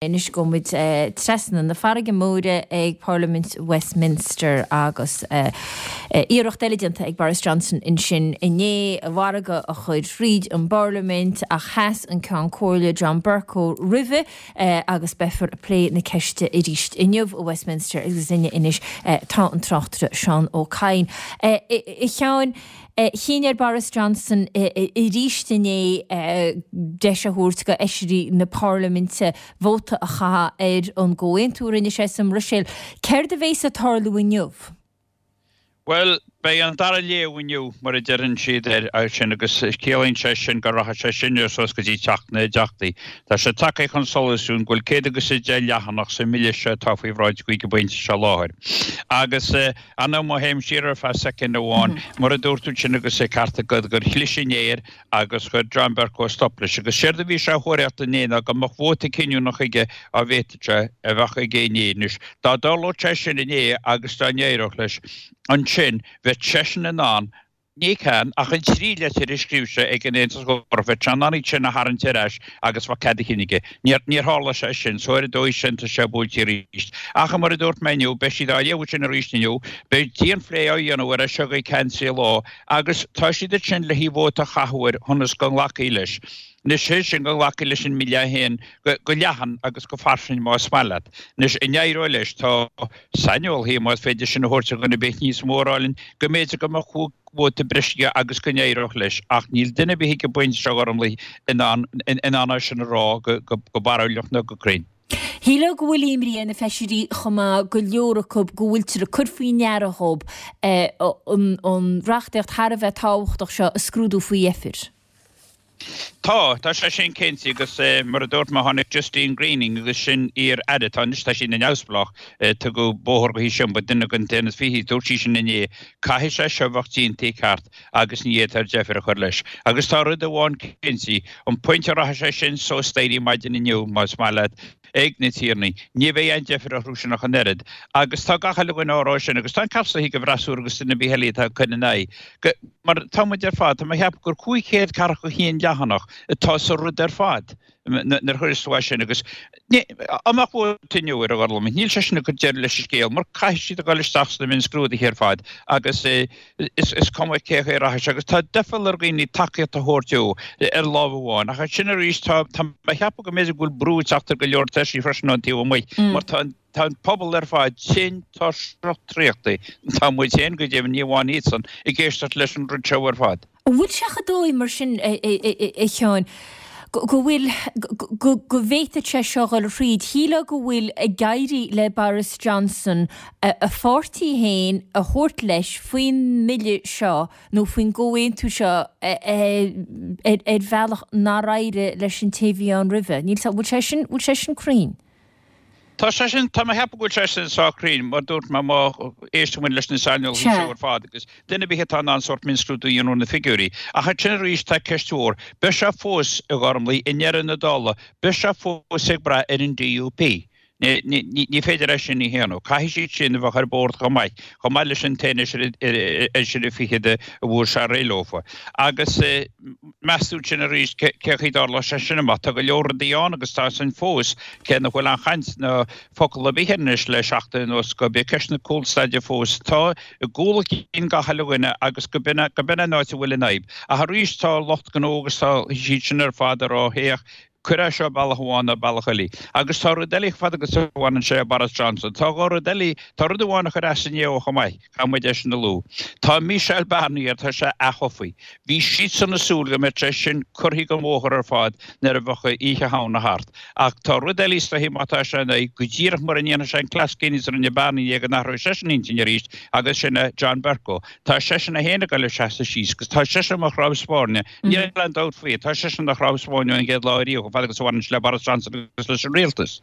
Anois gabhfaidh muid trasna na farraige móire ag Parlaimint Westminster agus iarracht eile déanta ag Boris Johnson ansin inné a mhargadh a chur thríd an bParlaimint ach sheas an Ceann Comhairle John Bercow roimhe agus beifear ag plé na ceiste arís inniu i Westminster agus linne anois tá an tráchtaire Seán Ó Cadhain. A Sheáin, Chinn ar Boris Johnson arís inné deis a thabhairt do fheisirí na Parlaiminte vóta a chaitheamh ar an gcomhaontú a rinne sé sa mBruiséil. Céard a bhéas ag tarlú inniu? Bhuel, beidh an dara léamh inniu, mar a deireann siad air sin, agus ciallaíonn sé sin go rachaidh sé sin suas go dtí Teach na dTeachtaí. Tá sé tagtha chun solais dúinn go bhfuil 110 leathanach sa mbille seo atá faoi bhráid ag an bpointe seo láthair. Agus. Anna, má théim siar ar feadh soicind amháin, mar a dúirt tú ansin agus an ceart agat gur chlis inné air agus chuir John Bercow stop leis. Agus séard a bhí sé a thóraíocht inné ná go mbeadh vóta cinniúnach aige dá bhféadfadh sé a bheadh aige inné. Anois, dá dtarlódh sé sin inné agus dá n-éireodh leis, ansin bheadh seisean in ann Ní ceann, ach an trí leitir a scríobh sé ag an Aontas Eorpach, bheadh sé in ann iad sin a tharraingt ar ais agus bheadh cead a chinn aige. Níor, níor tharla sé sin, so ar an dóigh sin tá sé buailte arís. Ach mar a dúirt mé inniu, beidh siad á léamh sin arís inniu, beidh dianphlé á dhéanamh air as seo go ceann 3 lá, agus tá siad ansin le haghaidh vóta a chaitheamh air ionas go nglacfaí leis. Anois, sé sin, go nglacfaí leis an mbille é féin go leathan agus go fairsing más maith leat. Anois, an éireoidh leis? Tá. saineolaithe, más féidir sin a thabhairt do dhuine ar bith níos mó a rá linn go mb'fhéidir go mbeadh 5 vóta breise aige agus go n-éireodh leis, ach níl duine ar bith ag an bpointe seo, a Ghormlaith, in ann in ann é sin a rá go barúlach nó go cruinn. Shílfeá go bhfuil imní ar na feisirí chomh maith, go leor acu, go bhfuiltear ag cur faoi ndeara dhób an reachtaíocht thar a bheith tábhachtach seo a scrúdú faoi dheifir. Tá, tá sé sin cinnte agus mar a dúirt mé tháinig Justine Greening agus sin iar-aire, tá anois, tá sí ina neamhspleách, tugadh bóthar dhaoithi sin, ba duine den Aontas Fichí, dúirt sí sin inné, caithfidh sé seo bheadh déanta i gceart agus ní fhéadfar deifir a chur leis. Agus tá rud amháin cinnte, an pointe a rachaidh sé sin suas staighrí maidin inniu, más maith leat, ag na tiarnaí. Ní bheidh aon deifir orthu sin ach an oiread. Agus tá gach uile dhuine á rá sin, agus tá an ceart ag an bhfreasúra agus duine ar bith eile atá ag cur ina aghaidh, go, mar tá muid ar fad, tá mé ag ceapadh gur 541 leathanach atá sa rud ar fad nuair a chuireas tú é sin agus ní, dá mbeadh vóta inniu air a Ghormlaith, níl sé sin ag cur deireadh leis an scéal mar caithfidh siad a dhul isteach sna mionscrúduithe ar fad agus Is cuma cé chaoi a rachaidh sé agus tá doicheall ar dhaoine tacaíocht a thabhairt dó ar lámh amháin ach ansin arís tá tá mé ag ceapadh go mb'fhéidir go bhfuil brú ag teacht ar go leor taoisigh freisin ón taobh amuigh mar tá an tá an pobal ar fad tinn tuirseach traochta, tá muid féin go deimhin, ní amháin iadsan, ag éisteacht leis an rud seo ar fad. An bhfuil sé chomh dóigh mar sin, a Sheáin, go bhfuil, go bhféadfadh sé seo dhul thríd? Shílfeá go bhfuil ag éirí le Boris Johnson a pháirtí féin a thabhairt leis faoin mbille seo nó faoin gcomhaontú seo ar bhealach nár éirigh leis an té a bhí ann roimhe. Níl, bhfuil sé sin, bhfuil sé sin cruinn? Tá sé sin, tá mé ag ceapadh go bhfuil sé sin sách cruinn, mar dúirt mé, má éisteann muid leis na saineolaithe seo ar fad agus duine ar bith atá in ann sórt mionscrúdú a dhéanamh ar na figiúirí. Ach ansin arís tá ceist mhór, beidh sé fós, a Ghormlaith, i ndeireadh na dála, beidh sé fós ag brath ar an DUP. Ní féidir é sin a shéanadh. Caithfidh siad sin a bheith ar bord chomh maith, chomh maith leis an t-aon fheisire fichead a bhfuair sé réidh leofa. Agus. Meas tú ansin arís cé chaoi dtarlóidh sé sin amach. Tá go leor rudaí ann agus tá san fós, cé nach bhfuil aon chaint ná focal ar bith air anois le seachtain anuas, gurb é ceist na cúlstade fós atá i gcúl a chinn gach uile dhuine agus go b'in b'in an áit a bhfuil an fhadhb. Ach arís tá lucht gnó agus tá siad sin ar fad ag rá féach, cuir é seo bealach amháin nó bealach eile. Agus tá rud eile chomh fada agus a bhaineann sé le Boris Johnson. Tá dhá rud eile, tá rud amháin a chuir as inné dó chomh maith. Caithfidh muid é sin a lua. Tá Michel Barnier, tá sé aththofa. Bhí siadsan ag súil go mbeadh sé sin curtha den bhóthar ar fad nuair a bheadh Oíche Shamhna thart. Ach tá rud eile is dóichí má tá sé ina aghaidh, go díreach mura ndéanfaidh sé an cleas céanna is a rinne Barnier go n-athróidh seisean intinn arís agus sin é John Bercow. Tá seisean é féin ag dul ag seasamh síos agus tá seisean mar chnámh spairne. Níl aon dabht faoi, tá seisean ina chnámh spairne ón gcéad lá ariamh chomh fada agus a bhaineann sé le Boris Johnson agus leis an rialtas.